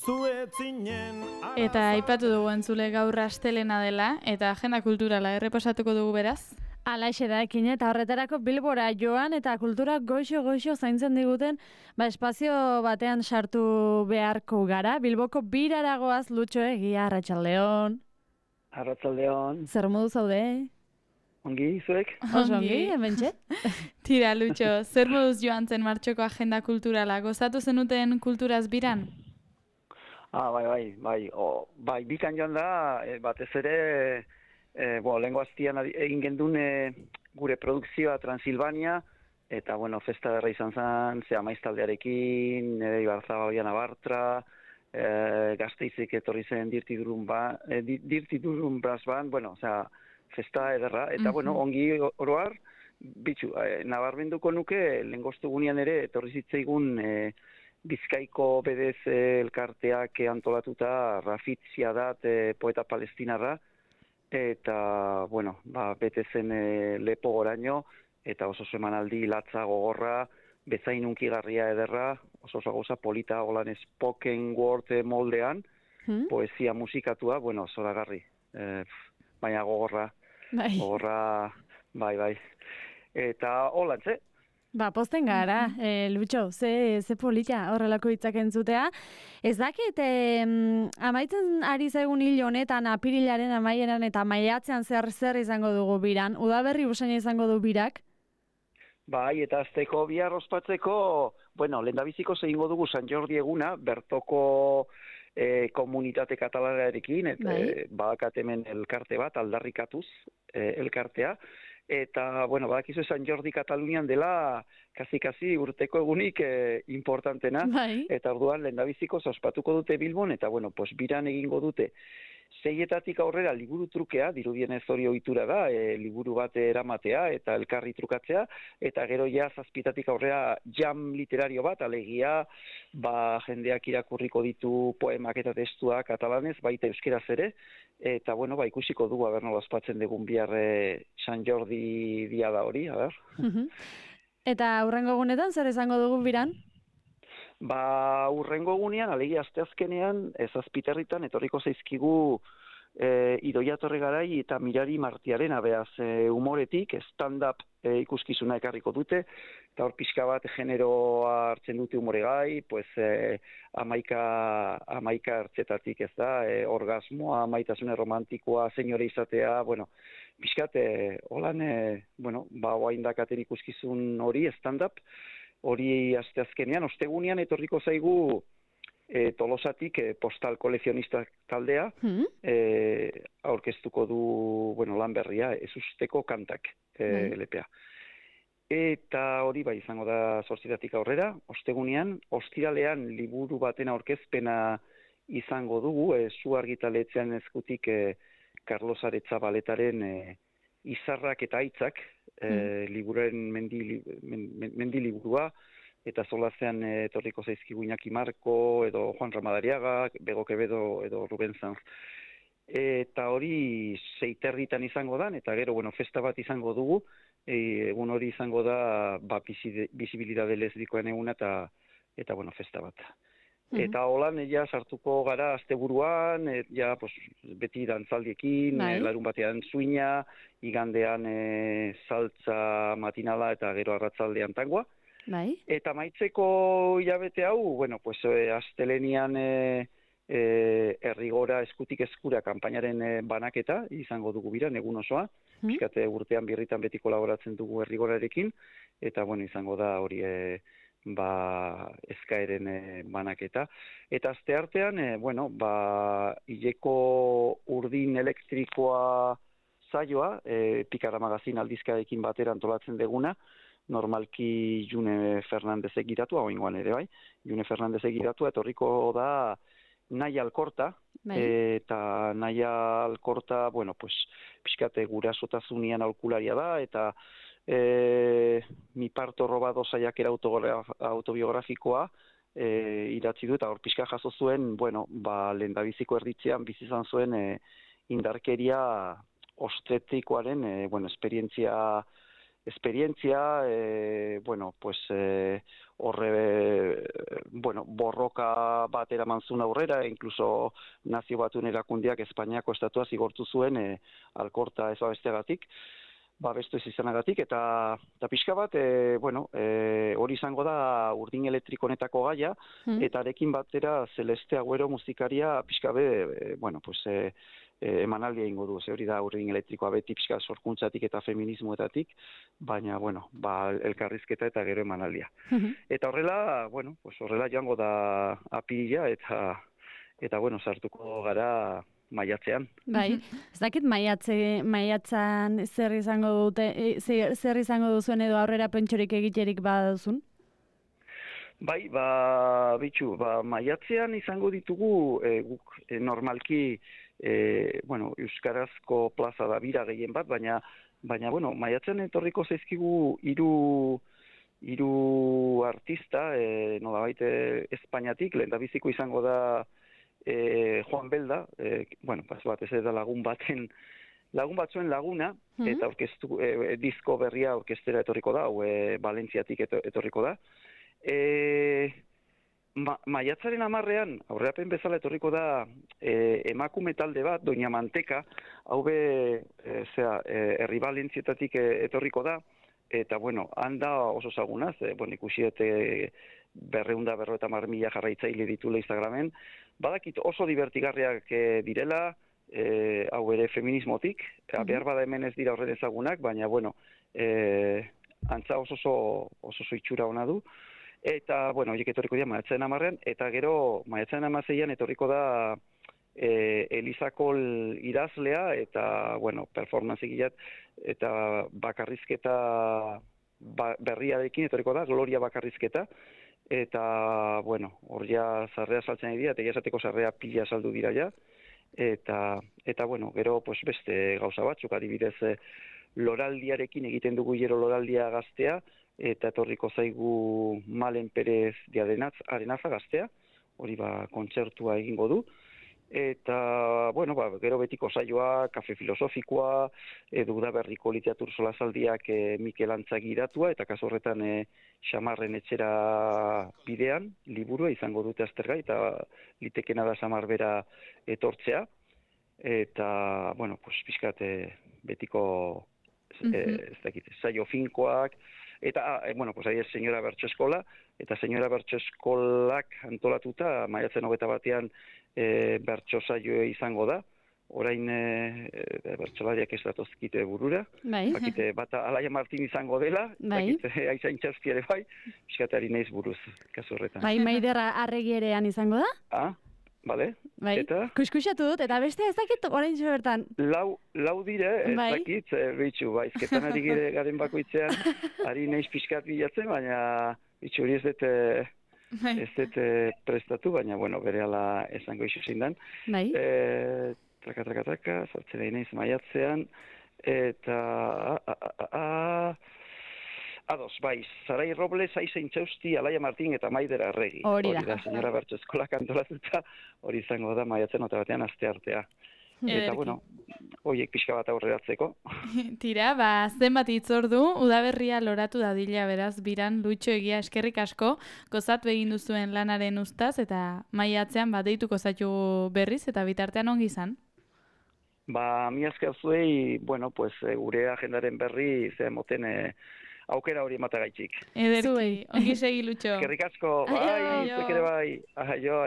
Eta aipatu dugu entzule gaur astelena dela, eta agenda kulturala errepasatuko dugu beraz. Alaxe da ekin eta horretarako Bilbora joan eta kultura goixo zaintzen diguten espazio batean sartu beharko gara. Bilboko biraragoaz Lutxo Egia, Arratsaldeon. Arratsaldeon. Zer modu zaude? Ongi, zuek? Oso ongi, hementxe. Tira, Lutxo, zer moduz joan zen martxoko agenda kulturala? Gozatu zenuten kulturaz biran? Bai, bikan joan da, batez ere, lehengo aztian egin gendun gure produkzioa Transilvania, eta, festa derra izan zen, ze amaiztaldearekin, nire Ibarzabal Bartra, Gasteizik etorri zen Dirty Durun Brass Band, festa ederra, eta, ongi oroar, bitxu, nabarmenduko nuke, lehengostu gunean ere, etorri zitzaigun Bizkaiko bedez elkarteak antolatuta Rafitzia dat poeta palestinarra, eta, bete zen lepo goraino, eta oso emanaldi latza gogorra, bezain unkigarria ederra, oso gauza polita, holan spoken word moldean, poesia musikatua, zoragarri, baina gogorra, bai. Eta holantze, Posten gara, Lutxo, ze polita horrelako hitzak entzutea. Ez dakit, amaitzen ari zaigun hil honetan, apirilaren amaieran eta maiatzean zer izango dugu biran. Udaberri usaina izango du birak? Bai, eta azteko bihar ospatzeko, lehendabiziko zehingo dugu San Jordi eguna, bertoko komunitate katalanarekin, badakat hemen elkarte bat, aldarrikatuz elkartea, eta, badakizu San Jordi Katalunian dela, kasi urteko egunik importantena, eta orduan lehendabiziko ospatuko dute Bilbon, eta, biran egingo dute. 6etatik aurrera liburu trukea, dirudienez hori ohitura da, liburu bat eramatea eta elkarri trukatzea, eta gero ja 7etatik aurrera jam literario bat, alegia, jendeak irakurriko ditu poemak eta testuak katalanez, baita euskeraz ere, eta ikusiko dugu, nola ospatzen dugun bihar San Jordi dia da hori, Eta hurrengo egunetan zer izango dugu biran? Hurrengo egunean, alegia asteazkenean, Zazpiterritan etorriko zaizkigu Idoia Torregarai eta Mirari Martiarena, beaz humoretik, stand-up ikuskizuna ekarriko dute, eta hor pixka bat generoa hartzen dute humoregai, amaika hartzetatik ez da, orgasmoa, maitasune romantikoa, senyore izatea, pixkat, holan, oaindakaten ikuskizun hori, stand-up, hori asteazkenean, ostegunean etorriko zaigu Tolosatik postal kolekzionistak taldea, aurkeztuko du lan berria, ezusteko kantak LPA. Eta hori izango da 8etatik aurrera, ostegunean, ostiralean liburu baten aurkezpena izango dugu, Zu Argitaletxean eskutik Carlos Aretzabaletaren Izarrak eta Aitzak, liburuaren mendi liburua, eta solazean etorriko zaizkigu Iñaki Marko, edo Juan Ramadariaga, Bego Quevedo, edo Ruben Sanz. Eta hori 6 izango da, eta gero, festa bat izango dugu, egun hori izango da, bizibilidade lesbikoen eguna, eta festa bat. Eta holan, sartuko gara asteburuan, beti dantzaldiekin, larun batean zuina, igandean saltza matinala eta gero arratzaldean tangoa. Eta maitzeko hilabete hau, astelenian Errigora eskutik eskura kanpainaren banaketa izango dugu biran, egun osoa. Piskate urtean birritan beti kolaboratzen dugu Errigorarekin, eta izango da hori eskaeren banaketa. Eta asteartean, hileko urdin elektrikoa saioa, Pikara Magazin aldizkarekin batera antolatzen deguna, normalki June Fernandezek giratua, oingoan ere June Fernandezek giratua, etorriko da Naia Alkorta, eta Naia Alkorta, pixkate gurasotasunean aholkularia da, eta Mi parto robado saiakera autobiografikoa idatzi du, eta hor pixka jaso zuen, lehendabiziko erditzean bizi izan zuen indarkeria ostetikoaren esperientzia, horre, borroka bat eraman zuen aurrera, inkluso Nazio Batuen erakundeak Espainiako estatua zigortu zuen alkorta ez babesteagatik, babestu ez izanagatik, eta pixka bat, hori izango da urdin elektriko honetako gaia, eta arekin batera Celeste Agüero musikaria pixka emanaldia ingo du, hori da urdin elektrikoa beti pixka sorkuntzatik eta feminismoetatik, baina, elkarrizketa eta gero emanaldia. Eta horrela, horrela joango da apirila, eta sartuko gara maiatzean. Bai, ez dakit maiatzan zer izango duzuen edo aurrera pentsorik egiterik baduzun? Bai, maiatzean izango ditugu guk normalki euskarazko plaza da bira gehien bat, baina maiatzean etorriko zaizkigu hiru artista, nolabait Espainiatik, lehendabiziko izango da Juan Belda, ez da lagun batzuen laguna, eta orkestu disko berria orkestera etorriko da, Valentziatik etorriko da. Maiatzaren 10ean, aurrerapen bezala etorriko da emakume talde bat, Doña Manteka, hau herri Valentzietatik etorriko da, eta handa oso zagunaz, ikusi 250.000 jarraitzaile ditula Instagramen, badakit oso divertigarriak direla, hau ere feminismotik, behar bada hemen ez dira horren ezagunak, baina antza oso itxura ona du. Eta, horiek etorriko dira maiatzaren 10ean, eta gero maiatzaren 16ean etorriko da Elizakol idazlea, eta, performance egilat, eta bakarrizketa berriarekin etorriko da, Gloria bakarrizketa, eta, hor ja sarrea saltzen dira, eta esateko sarrea pila saldu dira ja, eta gero beste gauza batzuk, adibidez, loraldiarekin egiten dugu gero loraldia gaztea, eta etorriko zaigu Malen Perez de Arenaza gaztea, hori kontzertua egingo du, eta, gero betiko saioa, kafe filosofikoa, Udaberriko literatur solasaldiak Mikel Antza gidatua, eta kasu horretan Xamarren etxera bidean, liburua izango dute aztergai, eta litekena da Xamar bera etortzea, eta, pixkat betiko saio finkoak, eta, ahi ez Senyora Bertso Eskola, eta Senyora Bertso Eskolak antolatuta, maiatzen 21ean bertso saio izango da, orain bertsolariak ez datozkite burura, bakite bata Alaia Martin izango dela, bakite Aizain Txarski ere bai, pixkatari naiz buruz, kasu horretan. Maider Arregi erean izango da? Bale, eta? Kuskusatu dut, eta beste ez dakit orain bertan. Lau dire, ez dakit, bitxu, izketan ari garen bakoitzean, ari naiz pixkat bilatzen, baina bitxu hori ez dut prestatu, baina, berehala esango iso zindan. Traka, sartzen ari naiz maiatzean, eta... Ados, Sarai Robles, Aizain Txausti, Alaia Martin eta Maider Arregi. Hori da, Senyora Bertso Eskolak antolatuta, hori izango da maiatzen 21ean asteartea. Eta, horiek pixka bat aurreratzeko. Tira, zenbat hitzordu, udaberria loratu dadila beraz, biran, Luitxo Egia eskerrik asko, gozatu egin duzuen lanaren ustaz, eta maiatzean deituko zaitu berriz, eta bitartean ongi izan. Mi asker zuei, gure agendaren berri, moten aukera hori ematagaitxik. Ederki, ongi segi Luitxo. Eskerrik asko, zuek ere bai. Aio.